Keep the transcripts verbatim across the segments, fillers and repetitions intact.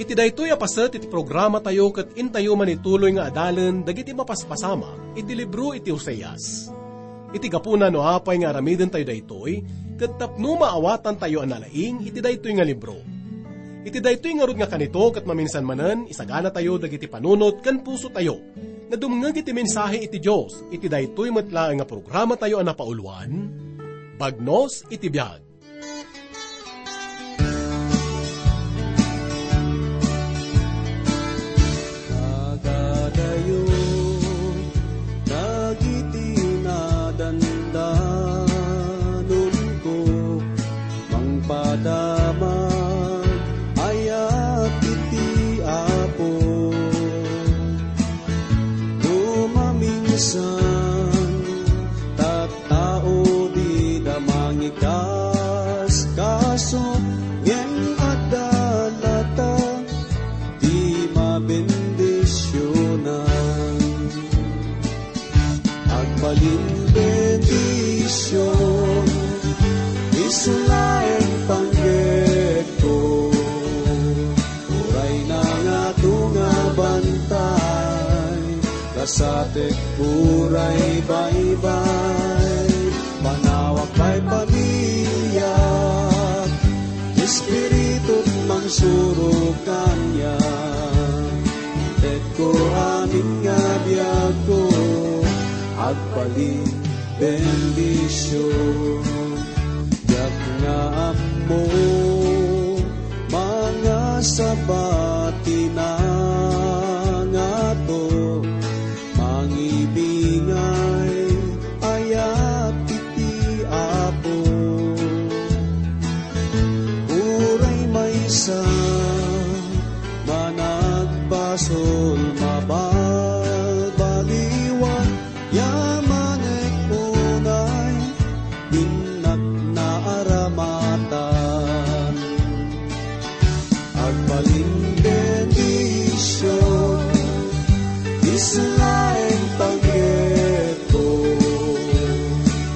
Iti daytoy a paset iti programatayo ket intayo manituloy nga adalen dagiti mapaspasamak iti libro iti Oseas. Iti gapuna no apay nga aramidentayo daytoy, ket tapno maawatantayo a nalaing iti daytoy nga libro. Iti daytoy ngarud nga kanito ket maminsan manen, isaganatayo dagiti panunot ken pusotayo nga dumngeg iti mensahe iti Dios iti daytoy met laeng nga programatayo a napauluan, Bagnos iti Biag. Agadayo dagiti nadandanonko, mangpadamag ayat iti Apo. No maminsan, tattao dida mangikaskaso, ngem adda latta ti mabendisionan. Agbalin bendision, isu laeng panggepko. Uray nangato nga bantay, kasatek uray baybay. Panawak pay pamiliak, Espiritu mangsurok kaniak. Intetko amin nga biagko, agbalin bendision. Diak nga ammo, mangasaba ti nangato, mangibingay ayat iti Apo. Uray maysa managbasol, mabalbaliwan, yamanek unay, innak naaramatan. Agbalin bendision, isu laeng panggepko.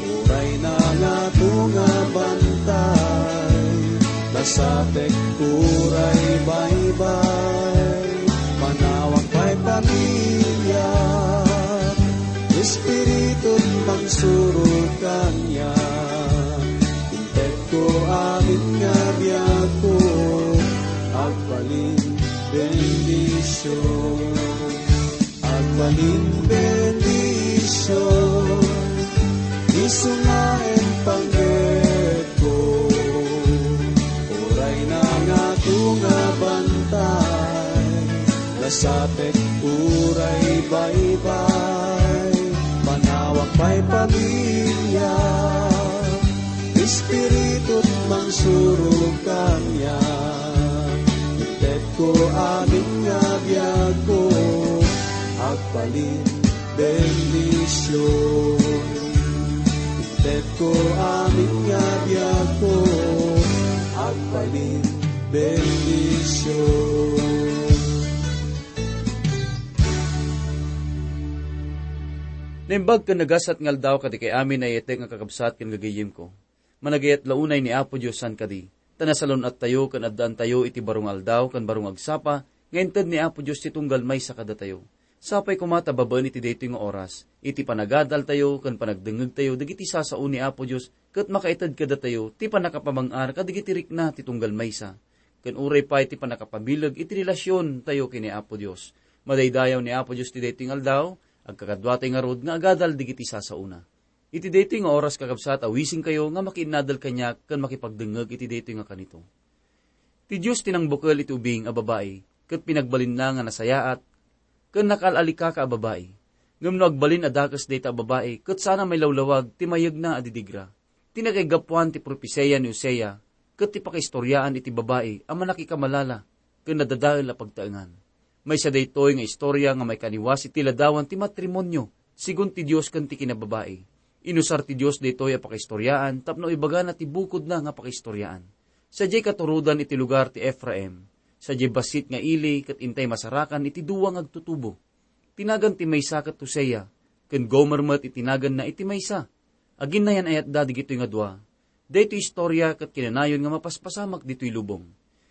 Uray nangato nga bantay, kasatek uray baybay. Manawak pay pamiliak, Espiritu mangsurok kaniak. Intetko amin nga biagko, agbalin bendision. Agbalin bendision, isu nga panggepko. Uray nangato nga bantay, kasatek uray baybay. Panawak pay pamiliak, Espiritu mangsurok kaniak. Intetko amin nga biagko, agbalin bendision. Intetko amin nga biagko, agbalin bendision. Naimbag ken nagasat nga aldaw kadagiti amin a nayatek nga kakabsat ken gagayyemko. Managayat la unay ni Apo Dios saan kadi, ta nasalun-attayo ken addaantayo iti baro nga aldaw ken baro nga agsapa nga inted ni Apo Dios ti tunggal maysa kadatayo. Sapay koma ta babaen iti daytoy nga oras, iti panagadaltayo ken panagdengngegtayo dagiti sasao ni Apo Dios, ket makaited kadatayo ti pannakapamang-ar kadagiti rikna ti tunggal maysa, ken uray pay ti pannakapabileg iti relasiontayo ken ni Apo Dios. Madaydayaw ni Apo Dios ti daytoy nga aldaw, agkakaduatay ngarud nga agadal dagiti sasaona. Iti daytoy nga oras, kakabsat, awisenkayo nga makiinnadal kaniak ken makipagdengngeg iti daytoy nga kanito. Ti Dios ti nangbukel iti ubing a babai, ket pinagbalinna nga nasayaat ken nakaal-alikaka a babai. Ngem no agbalin a dakes dayta a babai, ket saan a mailawlawag ti mayegna a didigra. Ti nakaigapuan ti propesia ni Hosea ket ti pakaistoriaan iti babai a mannakikamalala ken nadadael a pagtaengan. Maysa daytoy nga istoria nga maikaniwas iti ladawan ti matrimonio, sigun ti Dios ken ti kinababai. Inusar ti Dios daytoy a pakaistoriaan tapno ibagana ti bukodna nga pakaistoriaan. Sadiay katurodan iti lugar ti Efraim, sadiay bassit nga ili ket intay masarakan iti dua nga agtutubo. Ti nagan ti maysa ket Hosea, ken Gomer met iti naganna iti maysa. Aginnayan-ayatda dagitoy nga dua. Daytoy istoria ket kinanayon nga mapaspasamak ditoy lubong.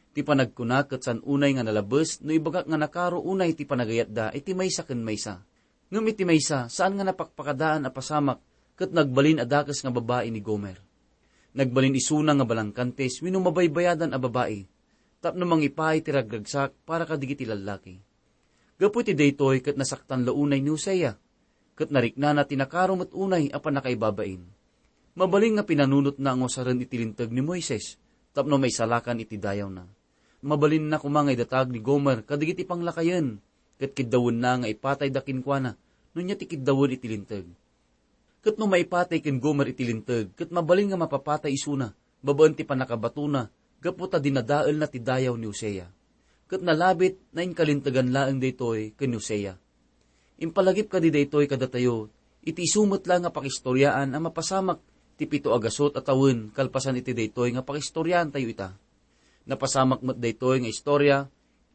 Ti panagkuna ket saan unay nga nalabes no ibagak nga nakaro unay ti panagayatda iti maysa ken maysa. Ngem iti maysa, saan nga napakpakadaan a pasamak ket nagbalin a dakes nga babai ni Gomer. Nagbalin isuna nga balangkantes wenno mabaybayadan a babai tapno mangipaay ti ragragsak para kadagiti lallaki. Gapu iti daytoy ket nasaktan la unay ni Hosea, ket nariknana ti nakaro met unay a pannakaibabain. Mabalin nga pinanunotna nga usaren iti Linteg ni Moises tapno maisalakan iti dayawna. Mabalinna koma nga idatag ni Gomer kadagiti panglakayen, ket kiddawenna nga ipatayda kenkuana no ania ti kiddawen iti Linteg. Ket no maipatay ken Gomer iti Linteg, ket mabalin nga mapapatay isuna babaen ti pannakabatona gapu ta dinadaelna ti dayaw ni Hosea. Ket nalabit, nainkalintegan laeng daytoy ken ni Hosea. Impalagip kadi daytoy kadatayo, iti isu met la nga pakistoriaan a mapasamak ti pito a gasut a tawen kalpasan iti daytoy nga pakistoriaantayo ita. Napasamak met daytoy nga istoria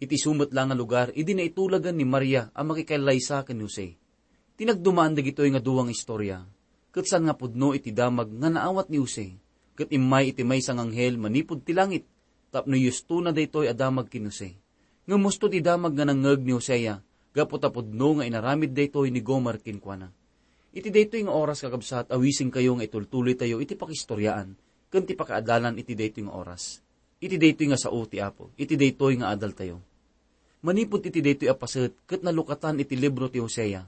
iti isu met la nga lugar idi naitulagan ni Maria a makikallaysa ken ni Jose. Tinagdumaan dagitoy nga dua nga istoria, ket saan nga pudno iti damag nga naawat ni Jose, ket immay iti maysa nga anghel manipud ti langit tapno iyustona daytoy a damag ken Jose. Ngem husto ti damag nga nangngeg ni Hosea gapu ta pudno nga inaramid daytoy ni Gomer kenkuana. Iti daytoy nga oras, kakabsat, awisenkayo nga itultuloytayo iti pakistoriaan ken ti pakaadalan iti daytoy nga oras. Iti daytoy nga sao ti Apo, iti daytoy nga adaltayo. Manipud iti daytoy a paset ket nalukatan iti libro ti Hosea.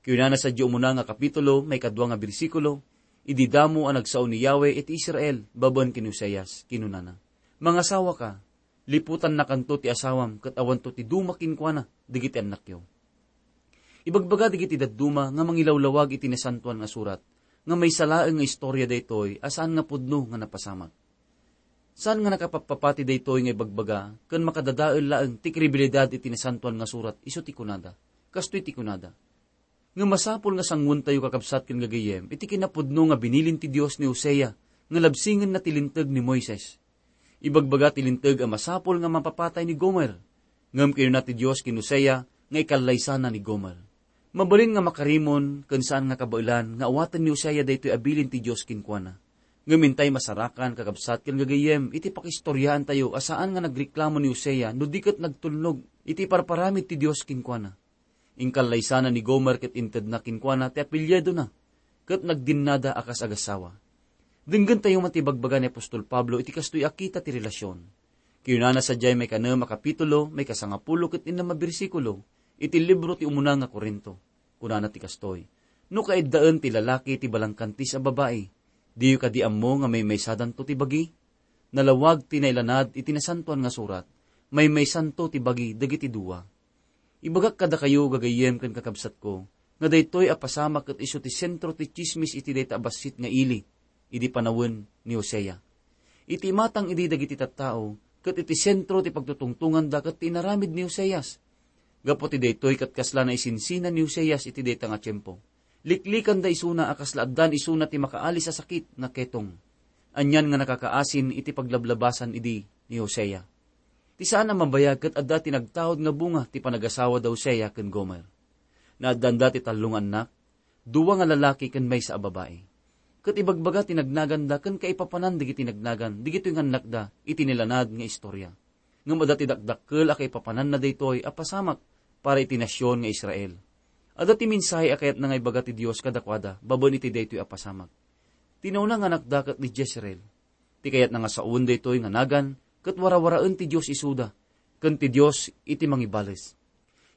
Kinunana sadiay umuna nga kapitulo, maikadua nga bersikulo, idi damo a nagsao ni Yahweh iti Israel babaen ken Hoseas, kinunana, "Mangasawaka, liputannakanto ti asawam ket awanto ti duma kenkuana dagiti annakyo." Ibagbaga dagiti dadduma nga mangilawlawag iti Nasantoan nga Surat nga maysa laeng nga istoria daytoy a saan nga pudno nga napasamak. Saan nga nakapappapati daytoy nga ibagbaga ken makadadael laeng ti kredibilidad iti Nasantoan nga Surat isu ti kunada. Kastoy ti kunada, nga masapul nga sanguentayo, kakabsat ken gagayyem, iti kinapudno nga binilin ti Dios ni Hosea nga labsingenna ti Linteg ni Moises. Ibagbaga ti Linteg a masapul nga mapapatay ni Gomer. Ngem kinuna ti Dios ken Hosea nga ikallaysana ni Gomer. Mabalin nga makarimon ken saan nga kabaelan nga awaten ni Hosea daytoy a bilin ti Dios kenkuana. Ngem intay masarakan, kakabsat ken gagayyem, iti pakistoriaantayo a saan nga nagreklamo ni Hosea no di ket nagtulnog iti parparamid ti Dios kenkuana. Inkallaysana ni Gomer ket intedna kenkuana ti apelyidona, ket nagdinnada a kas agassawa. Denggentayo met ti ibagbaga ni apostol Pablo iti kastoy a kita ti relasion. Kinunana sadiay maikanem a kapitulo, maikasangapulo ket innem a bersikulo iti libro ti umuna nga Corinto. Kunana ti kastoy, "No kaiddaen ti lalaki ti balangkantis a babai, diyo kadi ammo nga maymaysadanto ti bagi? Nalawag ti nailanad iti Nasantoan nga Surat, maymaysanto ti bagi dagiti dua." Ibagak kadakayo, gagayyem ken kakabsatko, nga daytoy a pasamak ket isu ti sentro ti tsismis iti dayta a bassit nga ili idi panawen ni Hosea. Iti imatang idi dagiti tattao, ket iti sentro ti pagtutungtonganda ket ti inaramid ni Hoseas. Gapu ti daytoy ket kasla naisinsinan ni Hoseas iti dayta nga tiempo. Liklikanda isuna a kasla addan isuna ti makaalis a sakit nga ketong. Anian nga nakakaasin iti paglablabasan idi ni Hosea. Ti saan a mabayag ket adda ti nagtaud nga bunga ti panagasawa da Hosea ken Gomer. Naaddanda ti tallo nga annak, dua nga lalaki ken maysa a babai. Ket ibagbaga ti nagnaganda ken kaipapanan dagiti nagnagan dagitoy nga annakda iti nilanad nga istoria. Ngem adda ti dakdakkel a kaipapananna daytoy a pasamak para iti nasion nga Israel. Adda ti mensahe a kayatna nga ibaga ti Dios kadakuada babaen iti daytoy a pasamak. Ti nauna nga annakda ket ni Jezreel. Ti kayatna nga saoen daytoy nga nagan ket warawaraen ti Dios isuda ken ti Dios iti mangibales.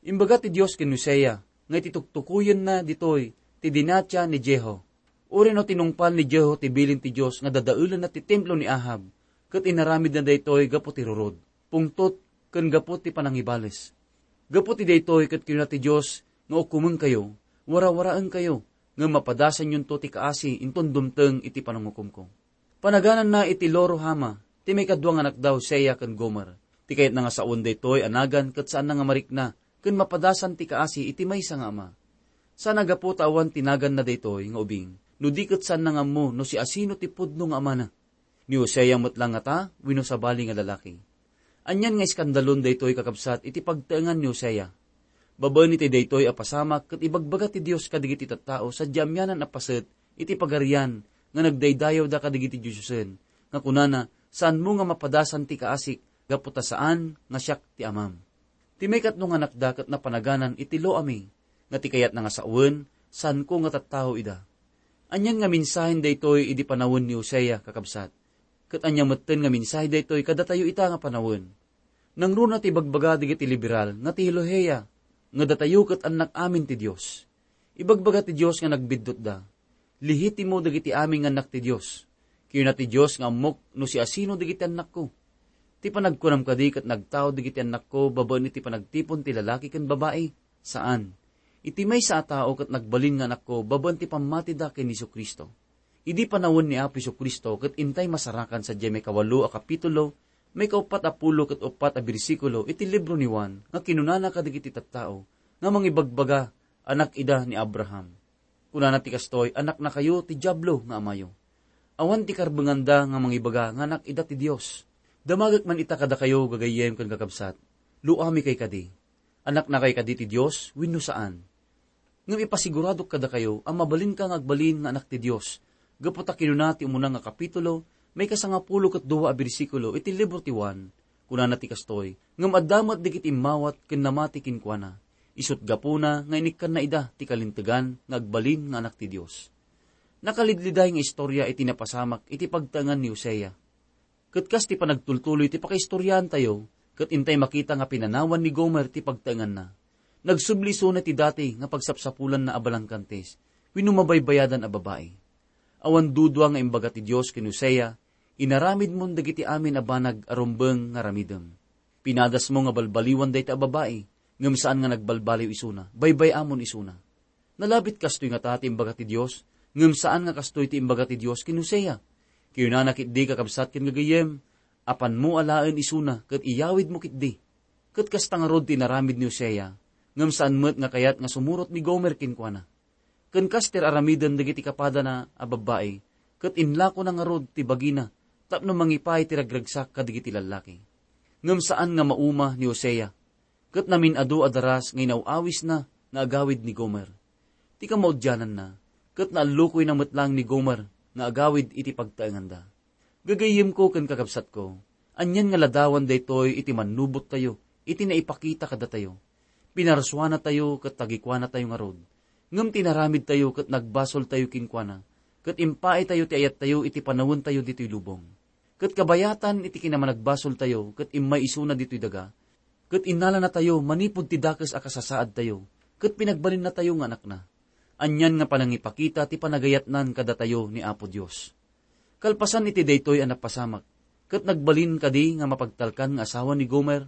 Imbaga ti Dios ken Hosea nga iti tuktukoyenna ditoy ti dinatia ni Jehu. Uray no tinungpal ni Jehu ti bilin ti Dios nga dadaelenna ti templo ni Ahab, ket inaramidna daytoy gapu ti rurod, pungtot, ken gapu ti panangibales. Gapu ti daytoy ket kinuna ti Dios nga, "Ukomenkayo, warawaraenkayo, ngem mapadasanyonto ti kaasi inton dumteng iti panangukomko." Panagananna iti Lo-Ruhama ti maikadua nga annakda, Hosea ken Gomer. Ti kayatna nga saoen daytoy a nagan ket saanna nga marikna ken mapadasan ti kaasi iti maysa nga ama. Saan a gapu ta awan ti naganna daytoy nga ubing, no di ket saanna nga ammo no siasino ti pudno nga amana. Ni Hosea met la ngata wenno sabali nga lalaki. Anian nga iskandalon daytoy, kakabsat, iti pagtaengan ni Hosea. Babaen iti daytoy a pasamak ket ibagbaga ti Dios kadagiti tattao sadiay amianan a paset iti pagarian nga nagdaydayawda kadagiti diosen, nga kunana, "Saanmo nga mapadasan ti kaasik gapu ta saan nga siak ti amam. Ti maikatlo nga anakda ket napanaganan iti Lo-Ammi, nga ti kayatna nga sawen, saanko nga tattao ida. Anian nga mensahen daytoy idi panawen ni Hosea, kakabsat. Ket ania metten nga mensahe daytoy kadatayo ita nga panawen? Nangruna ti ibagbaga dagiti liberal nga teolohiya nga datayo ket annak amin ti Dios. Ibagbaga ti Dios nga nagbiddutda, "Lehitimo dagiti amin nga annak ti Dios." Kinuna ti Dios nga ammok no siasino dagiti annakko. Ti panagkunam kadi ket nagtaud dagiti annakko babaen iti panagtipon ti lalaki ken babai? Saan. Iti maysa a tao ket nagbalin nga anakko babaen ti pammatida ken ni Jesu-Cristo. Idi panawen ni Apo Jesu-Cristo ket intay masarakan sadiay maikawalo a kapitulo, maikauppat a pulo ket uppat a bersikulo iti libro ni Juan nga kinunana kadagiti tattao nga mangibagbaga, "Anak ida ni Abraham." Kunana ti kastoy, "Annaknakayo ti Diablo nga amayo." Awan ti karbenganda nga mangibaga nga annak ida ti Dios. Damagek man ita kadakayo, gagayyem ken kakabsat. Lo-ammi kay kadi. Annakna kay kadi ti Dios wenno saan? Ngem ipasiguradok kadakayo a mabalinka nga agbalin nga annak ti Dios, gapu ta kinuna ti umuna nga kapitulo, maikasangapulo ket dua a bersikulo iti libro ti Juan, kunana ti kastoy, "Ngem adda met dagiti immawat ken namati kenkuana. Isut' gapuna nga inikkanna ida ti kalintegan nga agbalin nga annak ti Dios." Nakalidliday nga istorya iti napasamak iti pagtaengan ni Hosea. Ket kas ti panagtultuloy ti pakaistoryaantayo, ket intay makita nga pinanawan ni Gomer ti pagtaenganna. Nagsubli isuna ti dati nga pagsapsapulanna a balangkantis wenno mabaybayadan a babai. Awan dudua nga imbaga ti Dios ken Hosea, "Inaramidmon dagiti amin a banag a rumbeng nga aramidem. Pinadasmo nga balbaliwan dayta a babai, ngem saan nga nagbalbaliw isuna, baybay-amon isuna." Nalabit kastoy ngata ti imbaga ti Dios, ngem saan nga kastoy ti imbaga ti Dios ken Hosea. Kinunana ketdi, kakabsat ken gagayyem, "Apanmo alaen isuna ket iyawidmo ketdi." Ket kasta ngarud ti inaramid ni Hosea, ngem saan met nga kayat nga sumurot ni Gomer kenkuana. Ken kas ti ar-aramiden dagiti kapadana a babbai, ket inlakona ngarud ti bagina tapno mangipaay ti ragragsak kadagiti lallaki. Ngem saan nga mauma ni Hosea, ket namin-adu a daras nga inaw-awisna nga agawid ni Gomer. Ti kamaudiananna, ket naallukoyna met laeng ni Gomer nga agawid iti pagtaenganda. Gagayyemko ken kakabsatko, anian nga ladawan daytoy iti mannubottayo, iti naipakita kadatayo. Pinarsuanatayo ket tagikuanatayo ngarud. Ngem ti inaramidtayo ket nagbasoltayo kenkuana, ket impaaytayo ti ayattayo iti panawentayo ditoy lubong. Ket kabayatan iti kinamanagbasoltayo ket immay isuna ditoy daga, ket innalanatayo manipud ti dakes a kasasaadtayo, ket pinagbalinnatayo nga anakna. Anian nga panangipakita ti panagayatnan kadatayo ni Apo Dios. Kalpasan iti daytoy a napasamak, ket nagbalin kadi nga mapagtalkan nga asawa ni Gomer?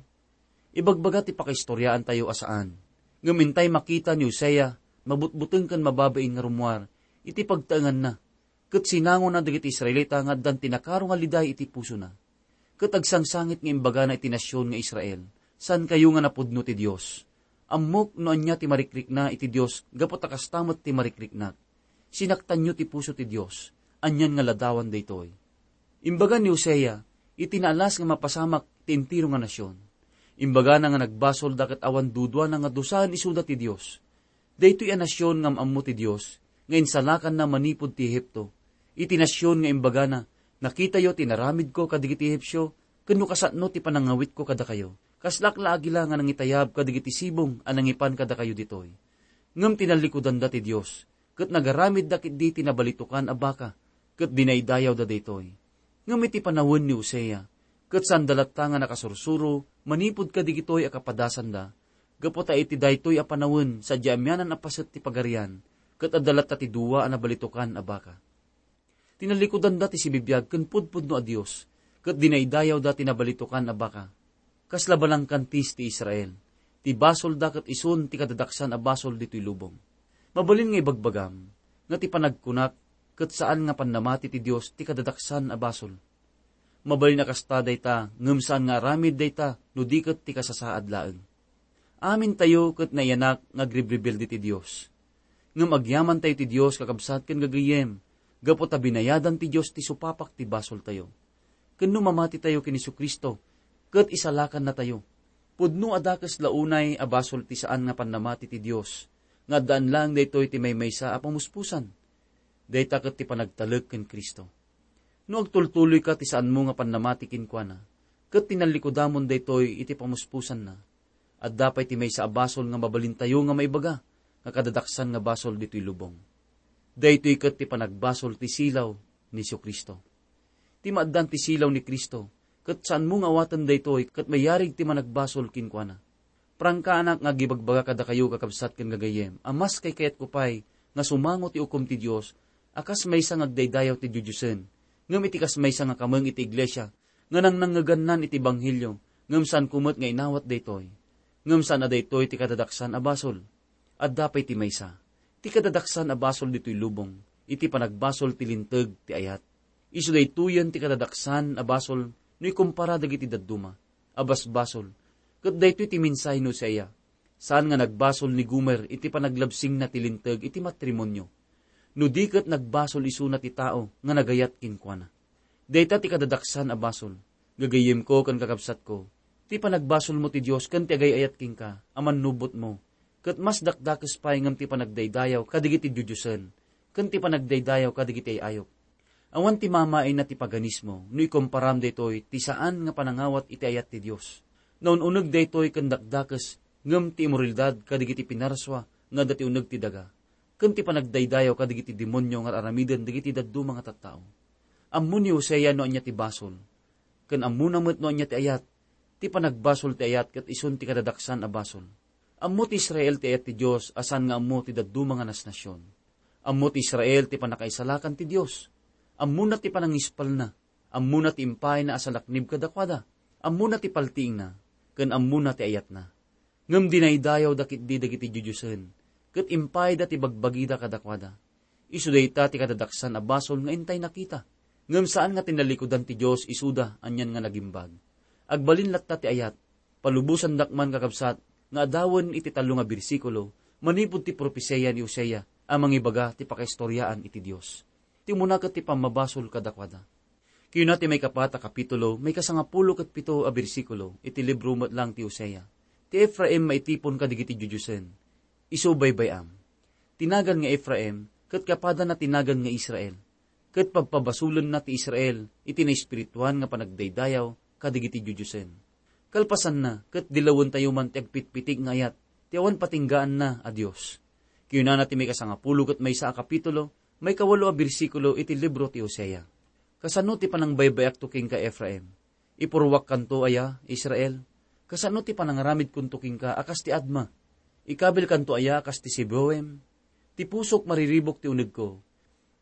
Ibagbaga ti pakaistoriaantayo a saan. Ngem intay makita ni Hosea, mabutbuteng ken mababain nga rummuar iti pagtaenganna, ket sinangona dagiti Israelita nga addan ti nakaro nga liday iti pusona. Ket agsangsangit nga imbagana iti nasion nga Israel, "Saankayo nga napudno ti Dios. Ammok no ania ti marikrikna iti Dios gapu ta kasta met ti marikriknak. Sinaktanyo ti puso ti Dios. Anian nga ladawan daytoy?" Imbaga ni Hosea, iti naalas nga mapasamak ti entero nga nasion. Imbagana nga nagbasolda ket awan duduana nga dusaen isuda ti Dios. Daytoy a nasion nga am-ammo ti Dios, nga insalakanna manipud ti Egipto. Iti nasion nga imbagana, "Nakitayo ti inaramidko kadagiti Egipsio, ken no kasano ti panangawitko kadakayo. Kaslaak la agila nga nangitayab kadagiti sibong a nangipan kadakayo ditoy." Ngem tinallikudanda ti Dios, ket nagaramidda ketdi ti nabalitokan a baka, ket dinaydayawda daytoy. Ngem iti panawen ni Hosea, ket saanda latta nga nakasursuro manipud kadagitoy a kapadasanda, gapu ta iti daytoy a panawen sadiay amianan a paset ti pagarian, ket adda latta ti dua a nabalitokan a baka. Tinallikudanda ti sibibiag ken pudpudno a Dios, ket dinaydayawda ti nabalitokan a baka. Kasla balangkantis ti Israel, ti basolda ket isun ti kadadaksan a basol ditoy lubong. Mabalin nga ibagbagam nga ti panagkunak ket saan nga pannamati ti Dios ti kadadaksan a basol. Mabalin a kasta dayta, ngem saan nga aramid dayta no di ket ti kasasaad laeng. Amintayo ket naiyanak nga agribribildi ti Dios. Ngem agyamantayo ti Dios, kakabsat ken gagayyem, gapu ta binayadan ti Dios ti supapak ti basoltayo. Ken no mamatitayo ken Jesu-Cristo, ket isalakannatayo. Pudno a dakes la unay a basol ti saan nga pannamati ti Dios, nga addaan laeng daytoy ti maymaysa a pamuspusan. Dayta ket ti panagtalek ken Cristo. No agtultuloyka ti saanmo nga pannamati kenkuana, ket tinallikudamon daytoy iti pamuspusanna. Adda pay ti maysa a basol nga mabalintayo nga maibaga nga kadadaksan nga basol ditoy lubong. Daytoy ket ti panagbasol ti silaw ni Jesu-Cristo. Ti maaddan ti silaw ni Cristo, ket saanmo nga awaten daytoy ket mayarig ti managbasol kenkuana. Prangkaanak nga agibagbaga kadakayo, kakabsat ken gagayyem, a mas kaykayatko pay nga sumango ti ukom ti Dios a kas maysa nga agdaydayaw ti diodiosen, ngem iti kas maysa nga kameng iti iglesia nga nangnangngegannan iti ebanghelio, ngem saanko met nga inawat daytoy. Ngem saan a daytoy ti kadadaksan a basol. Adda pay ti maysa. Ti kadadaksan a basol ditoy lubong, iti panagbasol ti linteg ti ayat. Isu daytoyen ti kadadaksan a basol no ikumpara dagiti dadduma a basbasol. Ket daytoy ti mensahe ni Hosea. Saan nga nagbasol ni Gomer iti panaglabsingna ti linteg iti matrimonio, no di ket nagbasol isuna ti tao nga nagayat kenkuana. Dayta ti kadadaksan a basol. Gagayyemko ken kakabsatko, ti panagbasolmo ti Dios ken ti agay-ayat kenka a mannubotmo, ket mas dakdakes pay ngem ti panagdaydayaw kadagiti diodiosen, ken ti panagdaydayaw kadagiti ay-ayop. Awan ti mamaayna ti paganismo no ikomparam daytoy ti saan nga panangawat iti ayat ti Dios. Naun-uneg daytoy ken dakdakes ngem ti imoralidad kadagiti pinarsua nga adda ti uneg ti daga, ken ti panagdaydayaw kadagiti demonio nga ar-aramiden dagiti dadduma nga tattao. Ammo ni Hosea no ania ti basol, ken ammona met no ania ti ayat. Ti panagbasol ti ayat ket isun ti kadadaksan a basol. Ammo ti Israel ti ayat ti Dios a saan nga ammo ti dadduma nga nasnasion. Ammo ti Israel ti pannakaisalakan ti Dios. Ammona ti panangispalna. Ammona ti impayna a salaknib kadakuada. Ammona ti paltiingna, ken ammona ti ayatna. Ngem dinaydayawda ketdi dagiti diodiosen, ket impayda ti bagbagida kadakuada. Isu dayta ti kadadaksan a basol nga intay nakita. Ngem saan nga tinallikudan ti Dios isuda anian nga nagimbag. Agbalin latta ti ayat. Palubosandak man, kakabsat, nga adawen iti tallo nga bersikulo manipud ti propesia ni Hosea a mangibaga ti pakaistoriaan iti Dios. Ti umuna ket ti pammabasol kadakuada. Kayuna ti maikapat a kapitulo, maikasangapulo ket pito a bersikulo iti libro met lang ti Hosea. Ti Efraim maitipon kadagiti diodiosen. Isu baybay-am. Ti nagan nga Efraim, ket kapadanna ti nagan nga Israel. Ket pabpabasolenna ti Israel iti naespirituan nga panagdaydayaw kadagiti diodiosen. Kalpasanna, ket dilawentayo man ti agpitpitik nga ayat ti awan patinggaanna a Dios. Kayunana ti maikasangapulo ket maysa a kapitulo, maikawalo a bersikulo iti libro ti Hosea. Kasano ti panangbaybayakto kenka, Efraim? Ipurruakkanto aya, Israel? Kasano ti panangaramidkonto kenka a kas ti Adma? Ikabilkanto aya a kas ti Seboim? Ti pusok mariribuk ti unegko.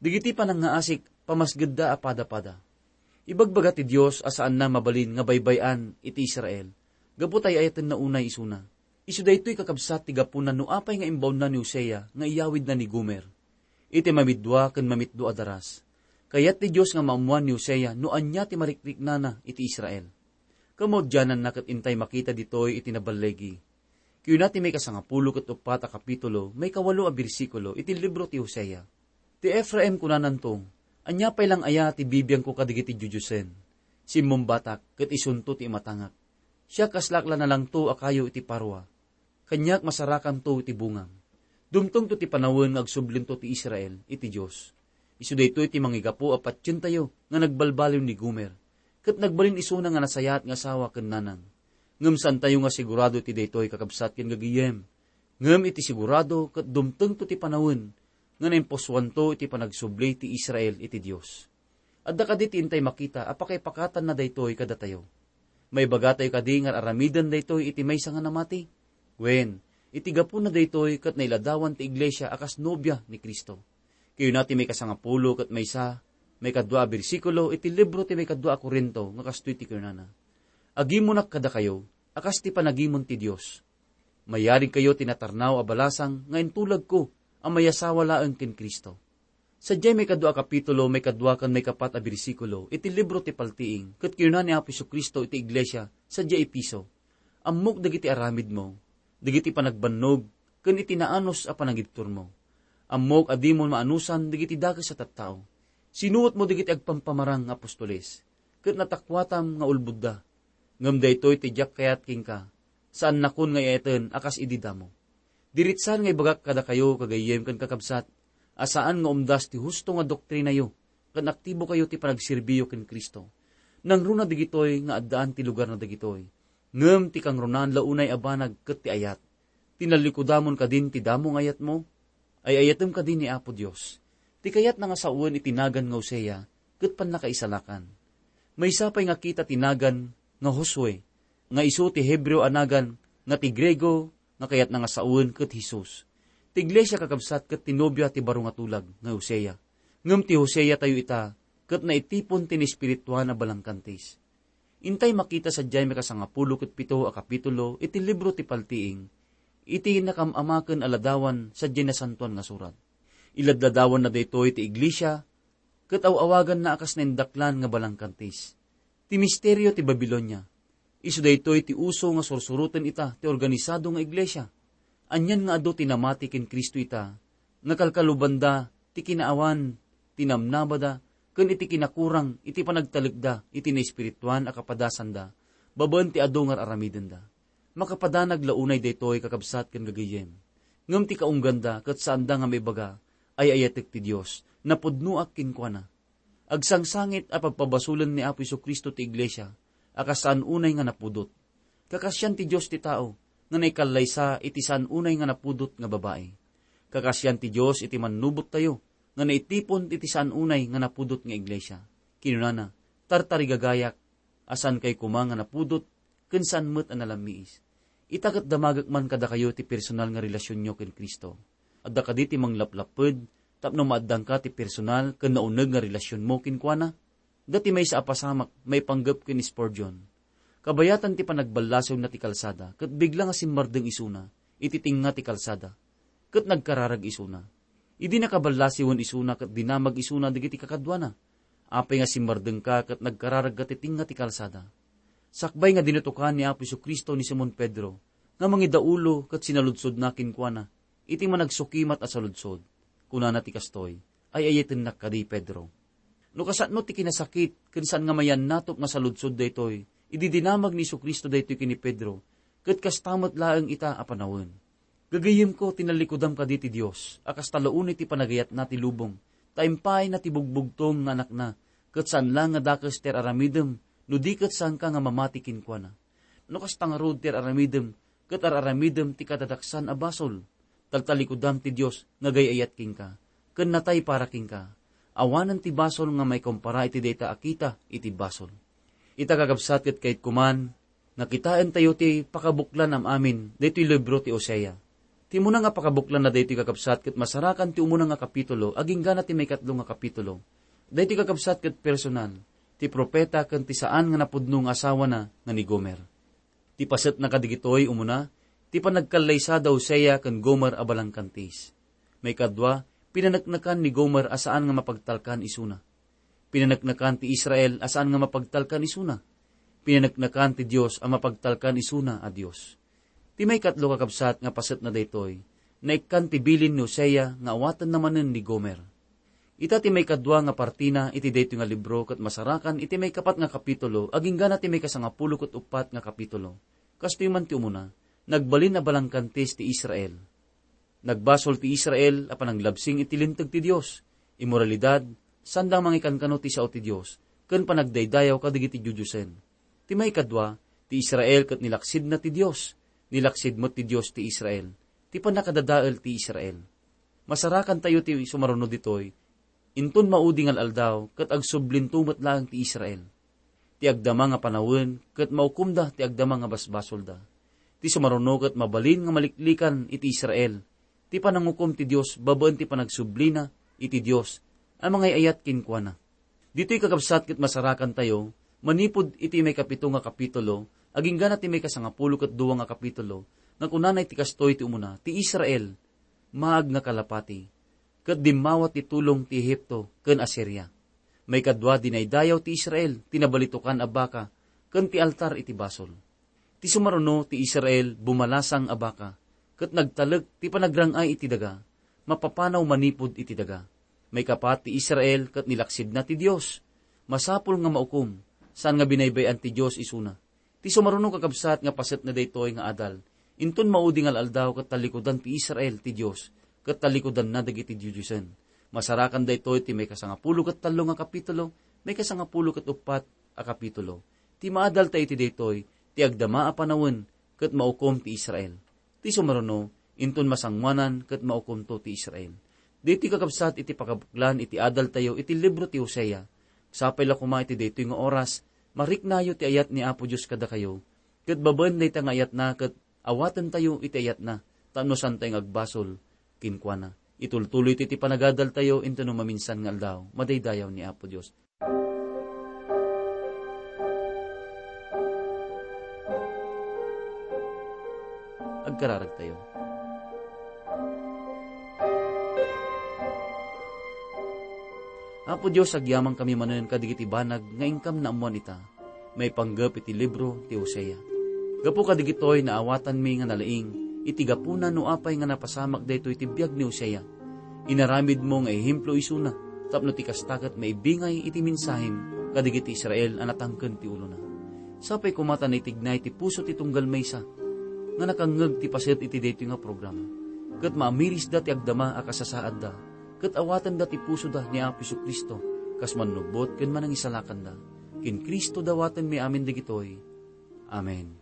Dagiti panangngaasik, pamasgedda a padapada. Ibagbaga ti Dios a saanna mabalin nga baybay-an iti Israel, gapu ta ay-ayatenna unay isuna. Isu daytoy, kakabsat, ti gapuna no apay nga imbaonna ni Hosea nga iyawidna ni Gomer. Iti mamiddua ken mamitdo a daras, kayat ti Dios nga maammoan ni Hosea no ania ti marikriknana iti Israel. Kamaudiananna ket intay makita ditoy iti naballigi. Kayuna ti maikasangapulo ket uppat a kapitulo, maikawalo a bersikulo iti libro ti Hosea. Ti Efraim, kunananto, "Ania pay lang aya ti bibiangko kadagiti diodiosen? Simmumbatak, ket isunto ti imatangak. Siak, kaslak la nalangto a kayo iti parua. Kaniak masarakanto iti bungam." Dumtengto ti panawen nga agsublinto ti Israel iti Dios. Isu daytoy ti mangigapu a patientayo nga nagbalbaliw ni Gomer, ket nagbalin isuna nga nasayaat nga asawa ken nanang. Ngem saantayo nga sigurado iti daytoy, kakabsat ken gagayem. Ngem iti sigurado ket dumtengto ti panawen nga naimpusuanto iti panagsubli ti Israel iti Dios. Adda kadi ti intay makita a pakaipakatanna daytoy kadatayo? Maibagatayo kadi nga aramiden daytoy iti maysa nga namati? Wen, iti gapuna daytoy ket nailadawan ti iglesia a kas nobia ni Cristo. Kayuna ti maikasangapulo ket maysa, maikadua a bersikulo iti libro ti maikadua a Corinto nga kastoy ti kunana, "Agimunak kadakayo a kas ti panagimon ti Dios." Mayarigkayo ti natarnaw a balasang nga intulagko a mayasawa laeng ken Cristo. Sadiay maikadua a kapitulo, maikadua ken maikapat a bersikulo iti libro ti Paltiing, ket kinuna ni Apo Jesu-Cristo iti iglesia sadiay Efeso, "Ammok dagiti aramidmo, dagiti panagbannog, ken iti naanus a panagibturmo. Ammok a dimo maanusan dagiti dakes a tattao. Sinuotmo dagiti agpampamarang nga apostoles, ket natakuatam nga ulbodda. Ngem daytoy ti diak kayat kenka, saannakon nga ay-ayaten a kas idi damo." Diritsan nga ibagak kadakayo, gagayyem ken kakabsat, a saan nga umdas ti husto nga doktrinayo ken aktibokayo ti panagserbiyo ken Cristo. Nangruna dagitoy nga addaan ti lugarna dagitoy. Ngem ti kangrunaan la unay a banag ket ti ayat. Tinallikudamon kadin ti damo nga ayatmo? Ay-ayatem kadi ni Apo Dios. Ti kayatna nga sawen iti nagan nga Hosea ket pannakaisalakan. Maysa pay nga kita ti nagan nga Josue, nga isu ti Hebreo a nagan nga ti Griego nga kayatna nga sawen ket Jesus. Ti iglesia, kakabsat, ket ti nobia ti baro nga tulag nga Hosea. Ngem ti Hosea tayo ita ket naitipon ti naespirituan a balangkantis. Intay makita sadiay makasangapulo ket pito a kapitulo iti libro ti Paltiing, iti nakam-amaken a ladawan sadiay Nasantoan nga Surat. Iladladawanna daytoy ti iglesia, ket aw-awaganna a kas naindaklan nga balangkantis. Ti misterio ti Babilonia. Isu daytoy ti uso nga sursuroten ita ti organisado nga iglesia. Anian nga adu ti namati ken Cristo ita, nga kalkalubanda ti kinaawan ti namnamada ken iti kinakurang iti panagtalekda iti naespirituan a kapadasanda babaen ti adu nga ar-aramidenda. Makapadanag la unay daytoy, kakabsat ken gagayyem. Ngem ti kaungganda ket saanda nga maibaga, ay-ayatek ti Dios, napudnoak kenkuana. Agsangsangit a pagpabasolen ni Apo Jesu-Cristo ti iglesia a kas saan unay nga napudot. Kakasian ti Dios ti tao nga naikallaysa iti saan unay nga napudot nga babai. Kakasian ti Dios iti mannubottayo nga naitipon iti saan unay nga napudot nga iglesia. Kinunana, "Tartarigagayak, a saankay koma nga napudot ken saan met a nalammiis." Ita ket damagek man kadakayo ti personal nga relasionyo ken Cristo. Adda kadi ti manglaplapped tapno maaddangka ti personal ken nauneg nga relasionmo kenkuana? Adda ti maysa a pasamak maipanggep ken Spurgeon. Kabayatan ti panagballasiwna ti kalsada, ket bigla nga simmardeng isuna iti tengnga ti kalsada, ket nagkararag isuna. Idi nakaballasiwen isuna ket dinamag isuna dagiti kakaduana, apay nga simmardengka ket nagkararagka ti tengnga ti kalsada? Sakbay nga dinutokan ni Apo Jesu-Cristo ni Simon Pedro nga mangidaulo ket sinaludsodna kenkuana iti managsukimat a saludsod. Kunana ti kastoy, "Ay-ayatennak kadi, Pedro." No kasano ti kinasakit ken saan nga mayannatop nga saludsod daytoy, idi dinamag ni Jesu-Cristo daytoy ken ni Pedro, ket kasta met laeng ita a panawen. Gagayyemko, tinallikudam kadi ti Dios a kasta la unay ti panagayatna ti lubong, ta impayna ti bugbugtong nga Anakna, ket saan laeng nga dakes ti ar-aramidem no di ket saanka nga mamati kenkuana. No kasta ngarud ti ar-aramidem, ket ar-aramidem ti kadadaksan a basol, taltallikudam ti Dios nga agay-ayat kenka, ken natay para kenka. Awanen ti basol nga maikompara iti dayta a kita iti basol. Ita, kakabsat, ket kayatko man nga kitaentayo ti pakabuklan am-amin daytoy libro ti Hosea. Ti umuna nga pakabuklanna daytoy, kakabsat, ket masarakan ti umuna nga kapitulo agingga na ti maikatlo nga kapitulo. Daytoy, kakabsat, ket personal ti propeta ken ti saan nga napudno nga asawana nga ni Gomer. Ti pasetna kadagitoy umuna, ti panagkallaysa da Hosea ken Gomer a balangkantis. Maikadua, pinaneknekan ni Gomer a saan nga mapagtalkan isuna. Pinaneknekan ti Israel a saan nga mapagtalkan isuna. Pinaneknekan ti Dios a mapagtalkan isuna a Dios. Ti maikatlo, kakabsat, nga pasetna daytoy, naikkan ti bilin ni Hosea nga awatenna manen ni Gomer. Ita ti maikadua nga partina iti daytoy nga libro ket masarakan iti maikapat nga kapitulo agingga na ti maikasangapulo ket uppat nga kapitulo. Kastoy man ti umuna, nagbalin a balangkantis ti Israel. Nagbasol ti Israel a pananglabsing iti linteg ti Dios, immoralidad, sanda mangikankano ti sao ti Dios, ken panagdaydayaw kadagiti diodiosen. Ti maikadua, ti Israel ket nilaksidna ti Dios, nilaksid met ti Dios ti Israel. Ti pannakadadael ti Israel. Masarakantayo ti sumaruno ditoy, inton maudi nga al-aldaw ket agsublinto met laeng ti Israel. Ti agdama nga panawen ket maukomda ti agdama nga basbasolda. Ti sumaruno ket mabalin nga maliklikan iti Israel ti panangukom ti Dios babaen ti panagsublina iti Dios a mangay-ayat kenkuana. Ditoy, kakabsat, ket masarakantayo manipud iti maikapito nga kapitulo, agingga na ti maikasangapulo ket dua nga kapitulo, nga kunana iti kastoy ti umuna, ti Israel, maag nga kalapati, ket dimmawa ti tulong ti Egipto ken Asiria. Maikadua, dinaydayaw ti Israel ti nabalitokan a baka ken ti altar iti basol. Ti sumaruno ti Israel bumalasang a baka, ket nagtalek ti panagrang-ay iti daga, mapapanaw manipud iti daga. Maikapat, ti Israel ket nilaksidna ti Dios. Masapul nga maukom, saan nga binaybay-an ti Dios isuna. Ti sumaruno, kakabsat, nga paset na daytoy nga adal, inton maudi nga al-aldaw ket tallikudan ti Israel ti Dios, ket tallikudanna dagiti diodiosen. Masarakan daytoy ti maikasangapulo ket tallo nga kapitulo, maikasangapulo ket uppat a kapitulo. Ti maadaltayo iti daytoy, ti agdama a panawen ket maukom ti Israel. Ti sumaruno, inton masangoanan ket maukomto ti Israel. Daytoy kakabsat iti pakabuklan iti adaltayo iti libro ti Hosea. Sapay la koma iti daytoy nga oras, mariknayo ti ayat ni Apo Dios kadakayo, ket babaen dayta nga ayatna ket awatentayo iti ayatna, tapno saantayo nga agbasol kenkuana. Itultuloyto iti panagadaltayo inton no maminsan nga aldaw. Madaydayaw ni Apo Dios. Agkararagtayo. Apo Dios, agyamankami manen kadagiti banag nga inkam naammuan ita, maipanggep iti libro ti Hosea. Gapu kadagitoy, naawatanmi nga nalaing iti gapuna no apay nga napasamak daytoy ti biag ni Hosea. Inaramidmo nga ehemplo isuna, tapno ti kasta ket maibingay iti mensahem kadagiti Israel a natangken ti ulona. Sapay koma ta naitignay ti puso ti tunggal maysa nga nakangngeg ti paset iti daytoy nga programa, ket maamirisda ti agdama a kasasaadda, ket awatenda ti pusoda ni Apo Jesu-Cristo kas mannubbot ken manangisalakanda. Ken Cristo dawatenmi amin dagitoy. Amen.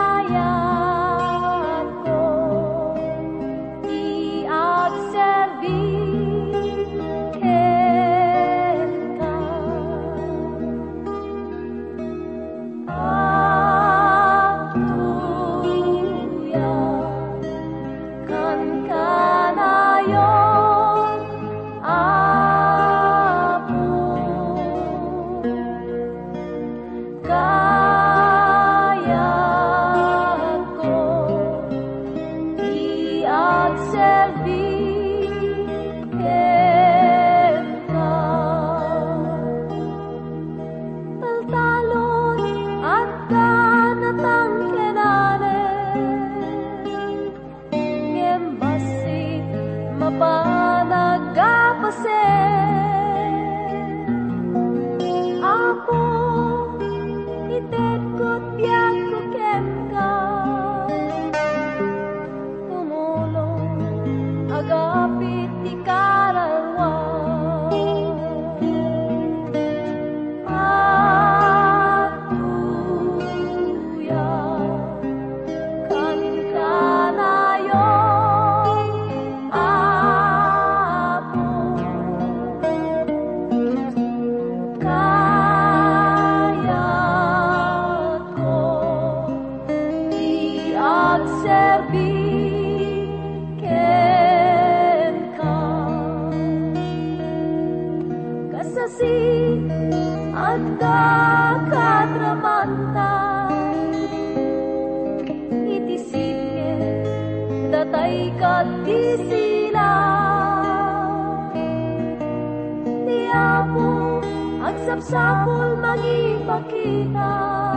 Kayatko ti agserbi kenka. Agtuyakkan kanayon, Apo. Kayatko ti agserbi kenka. Taltalon, adda natangkenanen. Ngem bassit mapan a agpasen. Apo, itedko ti biagko kenka. Tumulong, agapit ti kararua. Agtuyakkan kanayon, Apo. Kayatko ti agserbi kenka. Kasasi, adda kadramanta iti sitge, datay ket ti sila. Ni Apo agsapsapul mangipakita.